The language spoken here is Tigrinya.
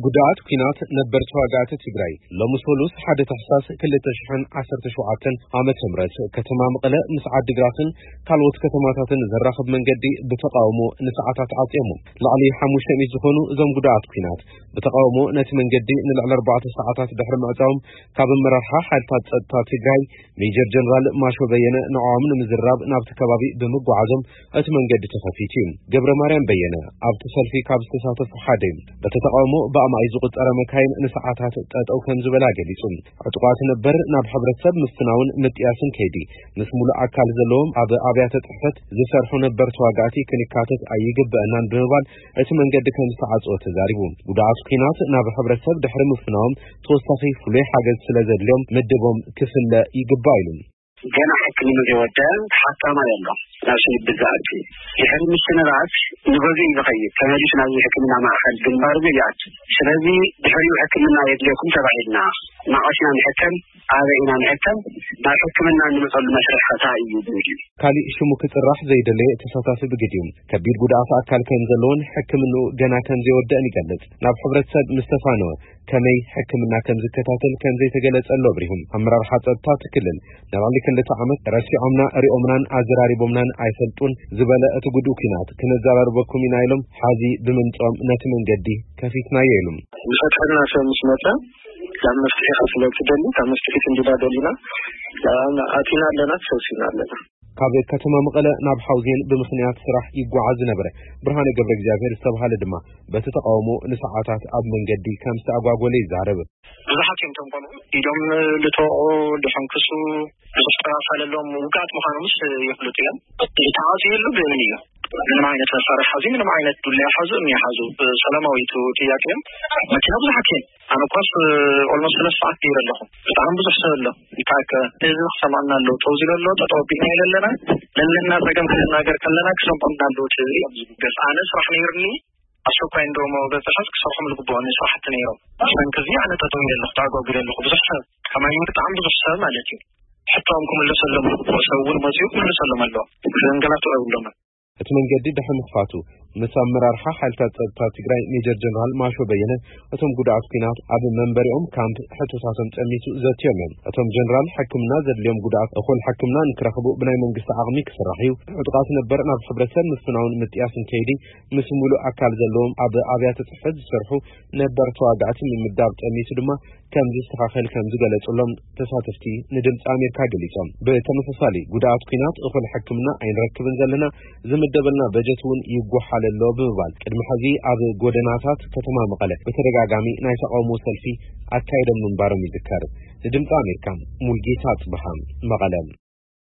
ጉድኣት ኲናት ነበር ተዋጋእቲ ትግራይ ሎሚ ሰሉስ ሓደ ታሕሳስ ክልተ ሽሕን ዓሰርተ ሸውዓተን ዓመተ ምህረት ከተማ መቐለ ምስ ዓዲግራትን ካልኦት ከተማታትን ዘራኽብ መንገዲ ብተቃውሞ ንሰዓታት ዓጽዮሞ። ልዕሊ ሓሙሽተ ሚእቲ ዝኾኑ እዞም ጉድኣት ኲናት ብተቃውሞ ነቲ መንገዲ ንልዕሊ ኣርባዕተ ሰዓታት ድሕሪ ምዕጻዎም ካብ ኣመራርሓ ሓይልታት ጸጥታ ትግራይ ሜጀር ጀነራል ማሾ በየነ ንዕኦም ንምዝራብ ናብቲ ከባቢ ብምጓዓዞም እቲ መንገዲ ተኸፊቱ እዩ። ገብረ ማርያም በየነ ኣብቲ ሰልፊ ካብ ዝተሳተፉ ሓደ እዩ። በቲ ተቃውሞ ብኣማይ ዝቁጸረ መካይን ንሰዓታት ጠጠው ከም ዝበላ ገሊጹ። ዕጡቃት ነበር ናብ ሕብረተሰብ ምፍናውን ምጥያስን ከይዲ ምስ ሙሉእ ኣካል ዘለዎም ኣብ ኣብያተ ጽሕፈት ዝሰርሑ ነበር ተዋጋእቲ ክንካተት ኣይግበአናን ብምባል እቲ መንገዲ ከም ዝተዓጽወ ተዛሪቡ። ጉድኣት ኲናት ናብ ሕብረተሰብ ድሕሪ ምፍናዎም ተወሳኺ ፍሉይ ሓገዝ ስለ ዘድልዮም ምድቦም ክፍለ ይግባእ ኢሉ። ገና ሕክምና ዘይወደ ተሓካማይ ኣሎ። ናብ ስኒ ብዛዕቲ ድሕሪ ምሽነራት ንገዝኡ እዩ ዝኸይድ። ተመሊሱ ናብ ሕክምና ማእኸል ግንባር እዩ ይኣቱ። ስለዚ ድሕሪኡ ሕክምና የድልየኩም ተባሂልና፣ ናቐስና ንሕከም፣ ኣበይ ኢና ንሕከም፣ ናብ ሕክምና እንመፀሉ መስርሕ ከታ እዩ ዝብል እዩ። ካሊእ ሽሙ ክፅራሕ ዘይደለየ ተሳታፊ ብግዲኡ ከቢድ ጉድኣት ኣካል ከም ዘለዎን ሕክምንኡ ገና ከም ዘይወደእን ይገልጽ። ናብ ሕብረተሰብ ምስ ተፋነወ ከመይ ሕክምና ከም ዝከታተል ከም ዘይተገለጸሉ ኣብሪሁ። ኣመራርሓ ጸጥታ እቲ ክልል ንልዕሊ ክልተ ዓመት ረሲዖምና፣ ሪኦምናን ኣዘራሪቦምናን ኣይፈልጡን ዝበለ እቲ ጉድኡ ኲናት ክነዘራርበኩም ኢና ኢሎም ሓዚ ብምምጽኦም ነቲ መንገዲ ከፊትናዮ ኢሉ። ዝፈትሐልና ሰብ ምስ መጸ ናብ መፍትሒ ካብ ስለ ትደሊ ካብ መፍትሒ ክንድዳ ደሊና ኣቲና ኣለና፣ ተሰብሲብና ኣለና። ካብ ከተማ መቐለ ናብ ሓውዜን ብምኽንያት ስራሕ ይጓዓዝ ዝነበረ ብርሃነ ገብረ እግዚኣብሔር ዝተባሃለ ድማ በቲ ተቃውሞ ንሰዓታት ኣብ መንገዲ ከም ዝተኣጓጎለ ይዛረብ። ብዙሓት እዮም እቶም ቆልዑ ኢዶም ልተወቑ፣ ድሕንክሱ፣ ብዙሕ ጠባሳ ለለዎም ውግኣት ምዃኖምስ ይፍልጡ እዮም። ተዓፅዩ የሉ ብእምን እዩ። ምንም ዓይነት መሳርሒ ሓዙ፣ ምንም ዓይነት ዱላ ይሓዙ፣ እምኒ ይሓዙ፣ ሰላማዊ እዩ እቲ ጥያቄ እዮም። መኪና ብዙሓት እየን። ኣነ እኳስ ኦልሞስት ሰለስተ ሰዓት ገይረ ኣለኹ። ብጣዕሚ ብዙሕ ሰብ ኣሎ። ይተኣከ ህዝቢ ክሰምዐና ኣለዎ። ጠው ዝለ ኣሎ፣ ጠጠው ኣቢልና ኢለ ኣለና። ለለና ጸገም ክንናገር ከለና ክሰምዖምና ኣለዎ። እቲ እዮም ዝብገስ። ኣነ ስራሕ ነይሩኒ፣ ኣስቸኳይ እንደሞ በፅሐት ክሰርሖም ዝግብኦኒ ስራሕቲ ነይሮም። ብሰንኪ እዚ ኣነ ጠጠው ኢለ ኣለኹ፣ ተኣጓጉለ ኣለኹ። ብዙሕ ሰብ ከማይ ብጣዕሚ ብዙሕ ሰብ ማለት እዩ። ሕቶኦም ክምለሰሎም፣ ሰብ እውን መፅኡ ክምለሰሎም ኣለዎ። ዘንገላቱ የብሎምን። እቲ መንገዲ ድሕሪ ምኽፋቱ ምስ ኣመራርሓ ሓይልታት ጸጥታ ትግራይ ሜጀር ጀነራል ማሾ በየነ እቶም ጉድኣት ኲናት ኣብ መንበሪኦም ካምፕ ሕቶታቶም ጸሚቱ ዘትዮም እዮም። እቶም ጀነራል ሕክምና ዘድልዮም ጉድኣት እኹል ሕክምና ንክረኽቡ ብናይ መንግስቲ ዓቕሚ ክስራሕ እዩ። ዕጡቓት ነበር ናብ ሕብረተሰብ ምፍናውን ምጥያስን ከይዲ ምስ ሙሉእ ኣካል ዘለዎም ኣብ ኣብያተ ጽሕፈት ዝሰርሑ ነበር ተዋጋእቲ ምምዳብ ጠሚቱ ድማ ከም ዝስተኻኸል ከም ዝገለጹሎም ተሳተፍቲ ንድምፂ ኣሜሪካ ገሊጾም። ብተመሳሳሊ ጉድኣት ኲናት እኹል ሕክምና ኣይንረክብን ዘለና፣ ዝምደበልና በጀት እውን ይጓሓል ኣሎ ብምባል ቅድሚ ሕዚ ኣብ ጎደናታት ከተማ መቐለ ብተደጋጋሚ ናይ ተቃውሞ ሰልፊ ኣካይዶም ምንባሮም ይዝከር። ንድምፂ ኣሜሪካ ሙልጌታ ጽብሃ መቐለ።